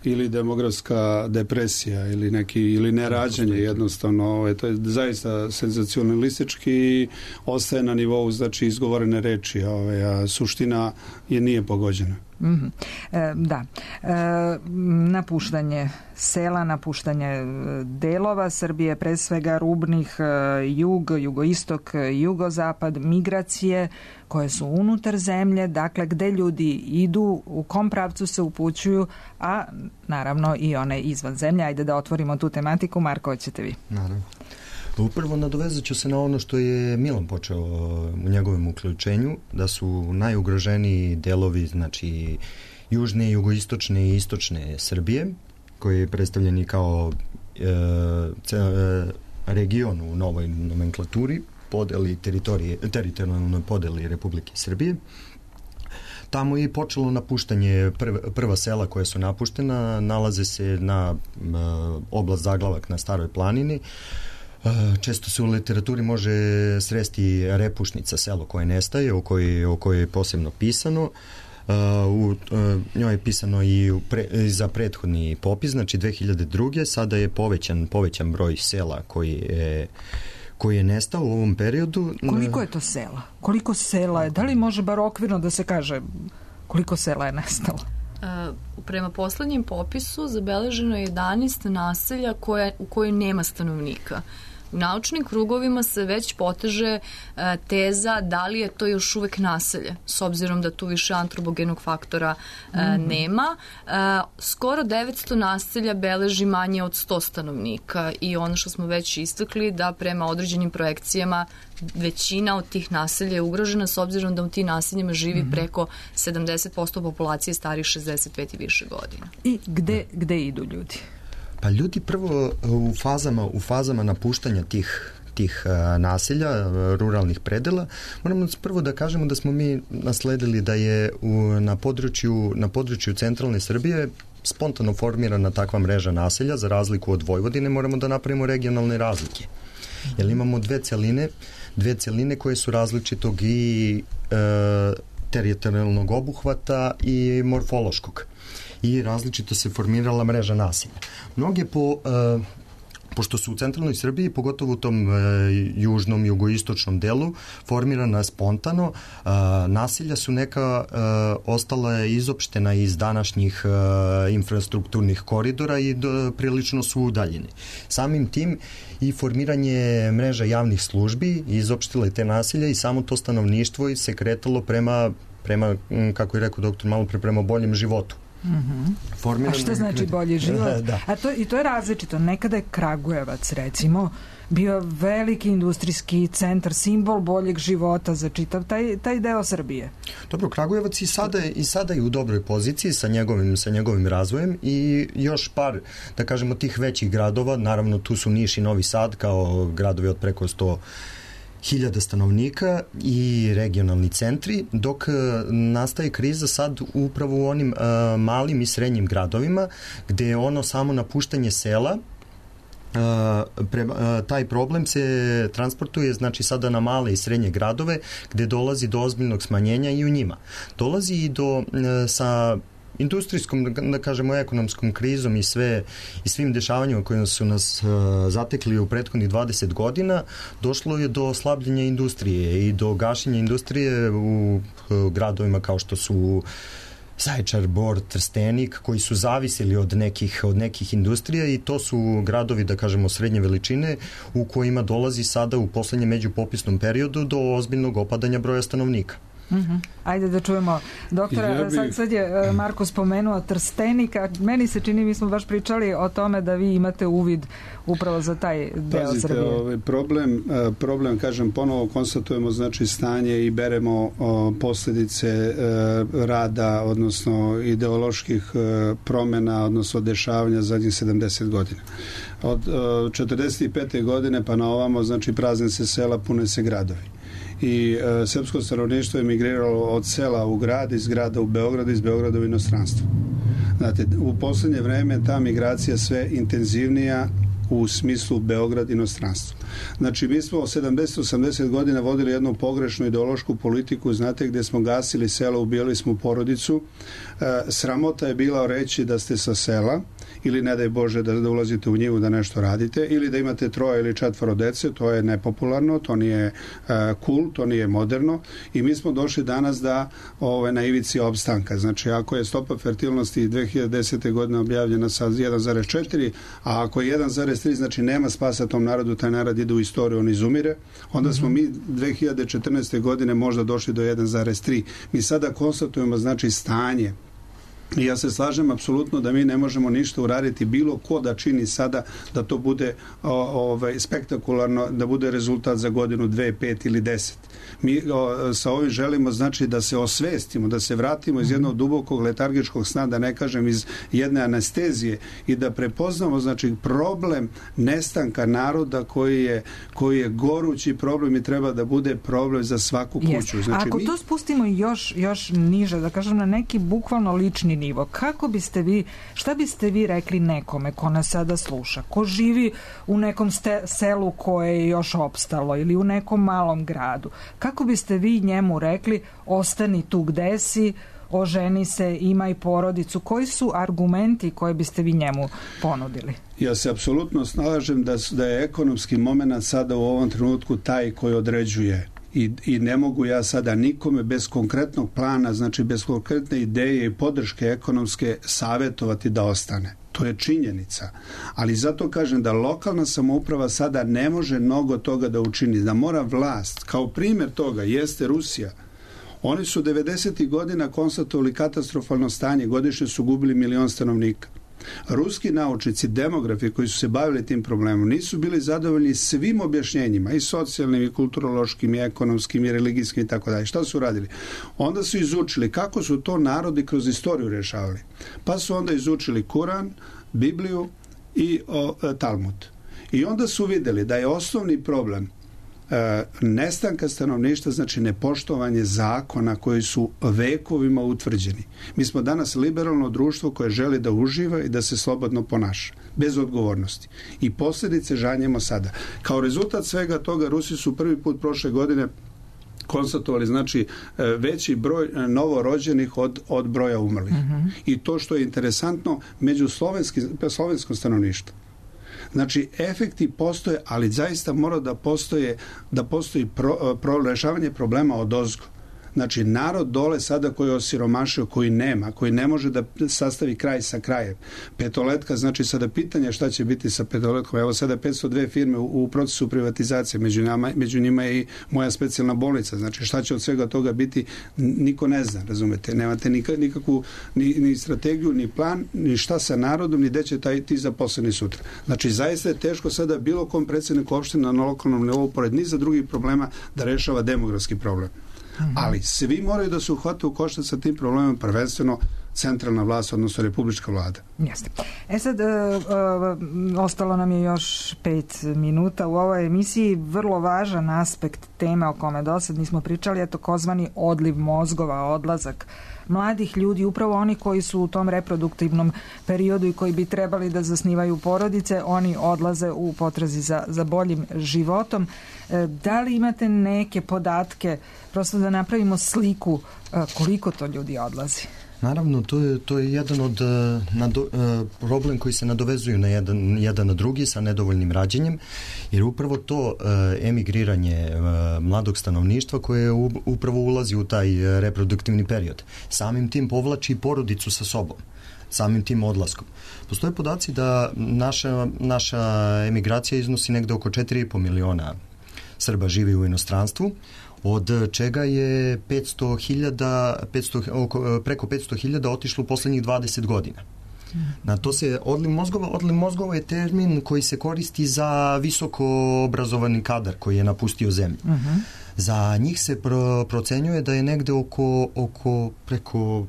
Ili demografska depresija ili neki ili nerađanje jednostavno, ovaj, to je zaista senzacionalistički i ostaje na nivou znači izgovorene reči, ovaj, a suština je nije pogođena. Mm-hmm. E, da. E, napuštanje sela, napuštanje delova Srbije, pre svega rubnih, jug, jugoistok, jugozapad, migracije koje su unutar zemlje, dakle gde ljudi idu, u kom pravcu se upućuju, a naravno i one izvan zemlje. Ajde da otvorimo tu tematiku. Marko, hoćete vi? Naravno. Upravo nadovezat ću se na ono što je Milan počeo u njegovom uključenju, da su najugroženiji delovi, znači južne, jugoistočne i istočne Srbije, koji je predstavljeni kao e, ce, e, region u novoj nomenklaturi, podeli teritorije, teritorijalnoj podeli Republike Srbije. Tamo je počelo napuštanje prva, prva sela koja su napuštena, nalaze se na e, oblast Zaglavak na Staroj planini. Često se u literaturi može sresti Repušnica, selo koje nestaje, o kojoj, o kojoj je posebno pisano. U njoj je pisano i u pre, za prethodni popis, znači dve hiljade druge. Sada je povećan, povećan broj sela koji je, koji je nestao u ovom periodu. Koliko je to sela? Koliko sela je? Da li može bar okvirno da se kaže koliko sela je nestalo? Uh, prema poslednjem popisu zabeleženo je jedanaest naselja koje, u kojoj nema stanovnika. U naučnim krugovima se već poteže uh, teza da li je to još uvek naselje, s obzirom da tu više antropogenog faktora uh, mm-hmm. nema. Uh, skoro devetsto naselja beleži manje od sto stanovnika i ono što smo već istakli da prema određenim projekcijama većina od tih naselja je ugrožena s obzirom da u tim naseljima živi mm-hmm. preko sedamdeset posto populacije starih šezdeset pet i više godina. I gde, gde idu ljudi? Pa ljudi prvo u fazama, u fazama napuštanja tih tih uh, naselja, ruralnih predela, moramo prvo da kažemo da smo mi nasledili da je u, na području na području centralne Srbije spontano formirana takva mreža naselja, za razliku od Vojvodine moramo da napravimo regionalne razlike. Jer imamo dve celine, dve celine koje su različitog i e, teritorijalnog obuhvata i morfološkog. I različito se formirala mreža naselja. Mnoge po, e, pošto su u centralnoj Srbiji, pogotovo u tom e, južnom, jugoistočnom delu, formirana spontano, e, nasilja su neka e, ostala izopštena iz današnjih e, infrastrukturnih koridora i do, prilično su udaljeni. Samim tim i formiranje mreža javnih službi izopštile te nasilja i samo to stanovništvo se kretalo prema, prema kako je rekao doktor malo pre, prema boljem životu. Mm-hmm. A što znači bolji život? Da. A to, i to je različito. Nekada je Kragujevac, recimo, bio veliki industrijski centar, simbol boljeg života za čitav taj, taj deo Srbije. Dobro, Kragujevac i sada, i sada je u dobroj poziciji sa njegovim, sa njegovim razvojem i još par, da kažemo, tih većih gradova, naravno tu su Niš i Novi Sad kao gradovi od preko sto hiljada stanovnika i regionalni centri, dok nastaje kriza sad upravo u onim uh, malim i srednjim gradovima, gde je ono samo napuštanje sela. Uh, pre, uh, taj problem se transportuje znači sada na male i srednje gradove, gde dolazi do ozbiljnog smanjenja i u njima. Dolazi i do uh, sa industrijskom, da kažemo, ekonomskom krizom i sve i svim dešavanjima koje su nas uh, zatekli u prethodnih dvadeset godina, došlo je do slabljenja industrije i do gašenja industrije u uh, gradovima kao što su Zaječar, Bor, Trstenik, koji su zavisili od nekih, od nekih industrija i to su gradovi, da kažemo, srednje veličine u kojima dolazi sada u poslednjem međupopisnom periodu do ozbiljnog opadanja broja stanovnika. Mm-hmm. Ajde da čujemo doktora, ja bi... sad, sad je Marko spomenuo Trstenika, meni se čini, mi smo baš pričali o tome da vi imate uvid upravo za taj deo Pazite, Srbije. Ovaj problem, problem, kažem, ponovo konstatujemo znači stanje i beremo o, posljedice e, rada, odnosno ideoloških e, promjena, odnosno dešavanja zadnjih sedamdeset godina. Od e, četrdeset pete godine pa na ovamo, znači prazne se sela, pune se gradovi. I e, srpsko stanovništvo je migriralo od sela u grad, iz grada u Beograd, iz Beograda u inostranstvo. Znate, u posljednje vreme ta migracija sve intenzivnija u smislu Beograd inostranstvo. Znači, mi smo sedamdeset osamdeset godina vodili jednu pogrešnu ideološku politiku, znate, gdje smo gasili selo, ubijali smo porodicu. E, sramota je bila reći da ste sa sela, ili ne daj Bože da, da ulazite u njivu da nešto radite, ili da imate troje ili četvoro dece, to je nepopularno, to nije uh, cool, to nije moderno i mi smo došli danas da ove, na ivici opstanka. Znači, ako je stopa fertilnosti dve hiljade desete godine objavljena sa jedan zarez četiri, a ako je jedan zarez tri, znači nema spasa tom narodu, taj narod ide u istoriju, on izumire, onda smo mi dve hiljade četrnaeste godine možda došli do jedan zarez tri. Mi sada konstatujemo, znači, stanje. I ja se slažem apsolutno da mi ne možemo ništa uraditi, bilo ko da čini sada da to bude o, ovaj, spektakularno, da bude rezultat za godinu, dve, pet ili deset. Mi o, sa ovim želimo znači da se osvestimo, da se vratimo iz jednog dubokog letargičkog sna, da ne kažem iz jedne anestezije i da prepoznamo znači problem nestanka naroda koji je, koji je gorući problem i treba da bude problem za svaku kuću. Yes. Znači, ako mi... to spustimo još, još niže, da kažem na neki bukvalno lični nivo, kako biste vi, šta biste vi rekli nekome ko nas sada sluša, ko živi u nekom ste, selu koje je još opstalo ili u nekom malom gradu, kako biste vi njemu rekli ostani tu gde si, oženi se, imaj porodicu, koji su argumenti koje biste vi njemu ponudili? Ja se apsolutno slažem da, da je ekonomski moment sada u ovom trenutku taj koji određuje. I, i ne mogu ja sada nikome bez konkretnog plana, znači bez konkretne ideje i podrške ekonomske savjetovati da ostane. To je činjenica. Ali zato kažem da lokalna samouprava sada ne može mnogo toga da učini, da mora vlast. Kao primjer toga jeste Rusija. Oni su devedesetih godina konstatovali katastrofalno stanje, godišnje su gubili milion stanovnika. Ruski naučnici, demografi koji su se bavili tim problemom nisu bili zadovoljni svim objašnjenjima, i socijalnim, i kulturološkim, i ekonomskim, i religijskim i tako dalje. Šta su radili? Onda su izučili kako su to narodi kroz istoriju rješavali. Pa su onda izučili Kuran, Bibliju i o, Talmud. I onda su vidjeli da je osnovni problem E, nestanka stanovništva, znači nepoštovanje zakona koji su vekovima utvrđeni. Mi smo danas liberalno društvo koje želi da uživa i da se slobodno ponaša, bez odgovornosti. I posljedice žanjemo sada. Kao rezultat svega toga Rusi su prvi put prošle godine konstatovali znači veći broj novorođenih od, od broja umrlih. Mm-hmm. I to što je interesantno među slovenskim, slovenskom stanovništvu. Znači, efekti postoje, ali zaista mora da postoje, da postoji pro, pro, rešavanje problema odozgo. Znači, narod dole sada koji je osiromašio, koji nema, koji ne može da sastavi kraj sa krajem. Petoletka, znači sada pitanje šta će biti sa Petoletkom. Evo sada petsto dve firme u, u procesu privatizacije, među, nama, među njima je i moja specijalna bolnica. Znači, šta će od svega toga biti, niko ne zna, razumete. Nemate nikakvu ni, ni strategiju, ni plan, ni šta sa narodom, ni gde će taj, ti zaposleni sutra. Znači, zaista je teško sada bilo kom predsjedniku opština na lokalnom nivou, pored niza drugih problema, da rešava demografski problem. Ali svi moraju da se uhvate u koštac sa tim problemom, prvenstveno centralna vlast, odnosno republička vlada. Jeste. E sad, e, e, ostalo nam je još pet minuta u ovoj emisiji. Vrlo važan aspekt teme o kome do sad nismo pričali je takozvani odliv mozgova, odlazak mladih ljudi, upravo oni koji su u tom reproduktivnom periodu i koji bi trebali da zasnivaju porodice, oni odlaze u potrazi za, za boljim životom. E, da li imate neke podatke, prosto da napravimo sliku e, koliko to ljudi odlazi? Naravno, to je, to je jedan od nado, problem koji se nadovezuju na jedan, jedan na drugi sa nedovoljnim rađenjem, jer upravo to emigriranje mladog stanovništva koje upravo ulazi u taj reproduktivni period. Samim tim povlači porodicu sa sobom, samim tim odlaskom. Postoje podaci da naša, naša emigracija iznosi negde oko četiri i po miliona Srba živi u inostranstvu, od čega je petsto hiljada, petsto, oko, preko petsto hiljada otišlo u poslednjih dvadeset godina. Na to se odliv mozgova, odliv mozgova je termin koji se koristi za visoko obrazovani kadar koji je napustio zemlju. Uh-huh. Za njih se pro, procenjuje da je negde oko, oko preko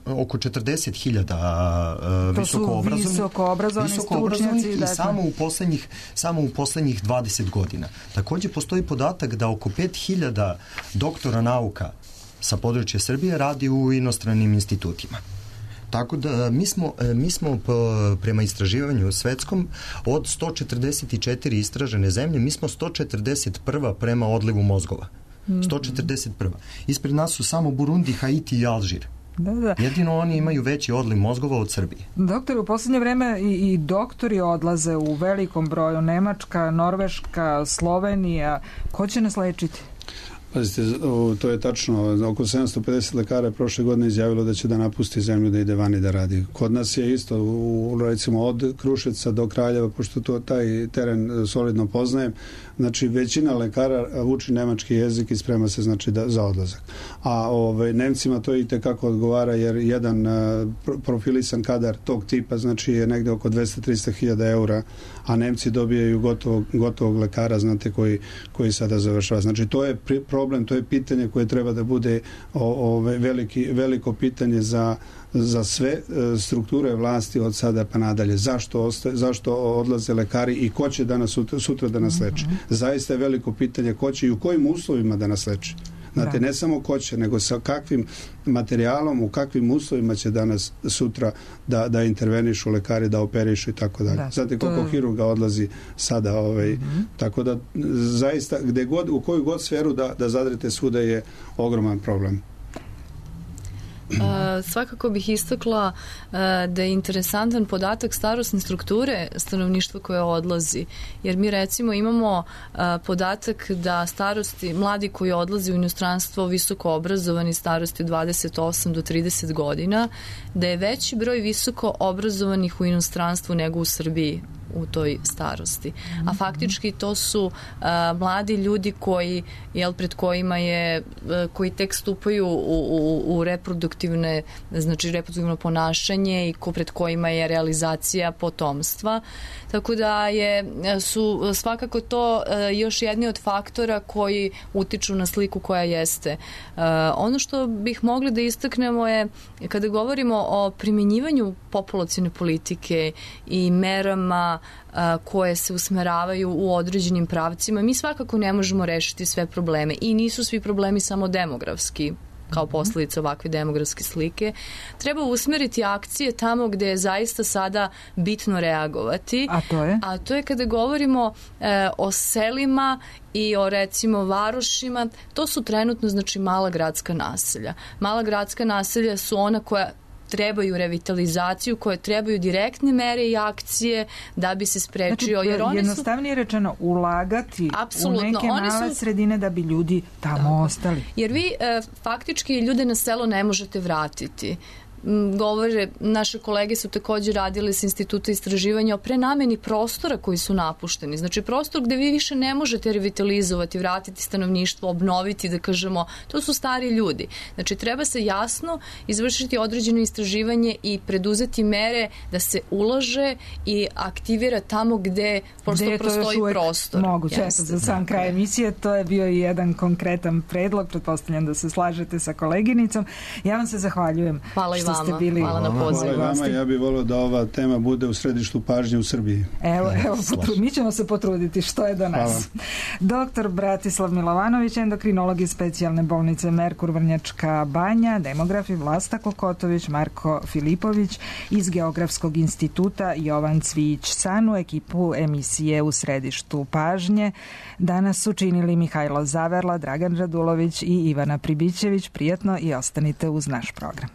oko četrdeset hiljada uh, visoko obrazovani, visoko obrazovani visoko stručnjaci i dakle. samo u poslednjih samo u poslednjih dvadeset godina. Takođe postoji podatak da oko pet hiljada doktora nauka sa područja Srbije radi u inostranim institutima. Tako da mi smo, mi smo prema istraživanju svetskom od sto četrdeset četiri istražene zemlje, mi smo sto četrdeset prva prema odlivu mozgova. sto četrdeset prva Ispred nas su samo Burundi, Haiti i Alžir. Da, da. Jedino oni imaju veći odliv mozgova od Srbije. Doktor, u poslednje vreme i, i doktori odlaze u velikom broju. Nemačka, Norveška, Slovenija. Ko će nas lečiti? Pazite, to je tačno. Oko sedamsto pedeset lekara prošle godine izjavilo da će da napusti zemlju, da ide vani da radi. Kod nas je isto, u, recimo od Kruševca do Kraljeva, pošto to taj teren solidno poznajem, znači većina lekara uči nemački jezik i sprema se znači da, za odlazak. A ove, Nemcima to i tekako odgovara jer jedan uh, profilisan kadar tog tipa znači je negde oko dvesta do trista hiljada eura, a Nemci dobijaju gotovog, gotovog lekara, znate, koji, koji sada završava. Znači to je pri, problem, to je pitanje koje treba da bude o, ove, veliki, veliko pitanje za za sve strukture vlasti od sada pa nadalje. Zašto, ostaje, zašto odlaze lekari i ko će danas sutra, sutra da nas leči? Zaista je veliko pitanje ko će i u kojim uslovima da nas leči. Znate, ne samo ko će, nego sa kakvim materijalom, u kakvim uslovima će danas sutra da, da intervenišu lekari, da operišu i tako dalje. Znate koliko je... hirurga odlazi sada, ovaj, mm-hmm. tako da zaista gde god, u koju god sferu da, da zadrete svuda je ogroman problem. Uh, svakako bih istakla uh, da je interesantan podatak starosne strukture stanovništva koje odlazi, jer mi recimo imamo uh, podatak da starosti, mladi koji odlazi u inostranstvo visoko obrazovani starosti od dvadeset osam do trideset godina, da je veći broj visoko obrazovanih u inostranstvu nego u Srbiji u toj starosti. A faktički to su uh, mladi ljudi koji, jel, pred kojima je, uh, koji tek stupaju u, u, u reproduktivne, znači reproduktivno ponašanje i ko pred kojima je realizacija potomstva. Tako da je, su svakako to uh, još jedni od faktora koji utiču na sliku koja jeste. Uh, ono što bih mogli da istaknemo je, kada govorimo o primjenjivanju populacione politike i merama koje se usmeravaju u određenim pravcima, mi svakako ne možemo rešiti sve probleme i nisu svi problemi samo demografski kao posljedica ovakve demografske slike. Treba usmeriti akcije tamo gde je zaista sada bitno reagovati. A to je? A to je kada govorimo e, o selima i o recimo varošima, to su trenutno znači mala gradska naselja. Mala gradska naselja su ona koja trebaju revitalizaciju, koje trebaju direktne mere i akcije da bi se sprečio. Znači, jer oni jednostavnije su... rečeno, ulagati Apsolutno. u neke oni male su... sredine da bi ljudi tamo da. ostali. Jer vi e, faktički ljude na selo ne možete vratiti. Govore, naše kolege su također radili s Instituta istraživanja o prenameni prostora koji su napušteni. Znači prostor gde vi više ne možete revitalizovati, vratiti stanovništvo, obnoviti, da kažemo, to su stari ljudi. Znači treba se jasno izvršiti određeno istraživanje i preduzeti mere da se ulaže i aktivira tamo gde prosto gde prostoji prostor. Moguće, eto, za sam kraj emisije, to je bio i jedan konkretan predlog, pretpostavljam da se slažete sa koleginicom. Ja vam se zahvaljujem. Hvala i što ste bili. Hvala na pozivu. Hvala vama, ja bih volio da ova tema bude u središtu pažnje u Srbiji. Evo, evo potru, mi ćemo se potruditi što je do nas. Hvala. Doktor Bratislav Milovanović, endokrinolog iz specijalne bolnice Merkur Vrnjačka Banja, demografi Vlasta Kokotović, Marko Filipović iz Geografskog instituta Jovan Cvijić-San, u ekipu emisije U središtu pažnje. Danas su činili Mihajlo Zaverla, Dragan Radulović i Ivana Pribićević. Prijatno i ostanite uz naš program.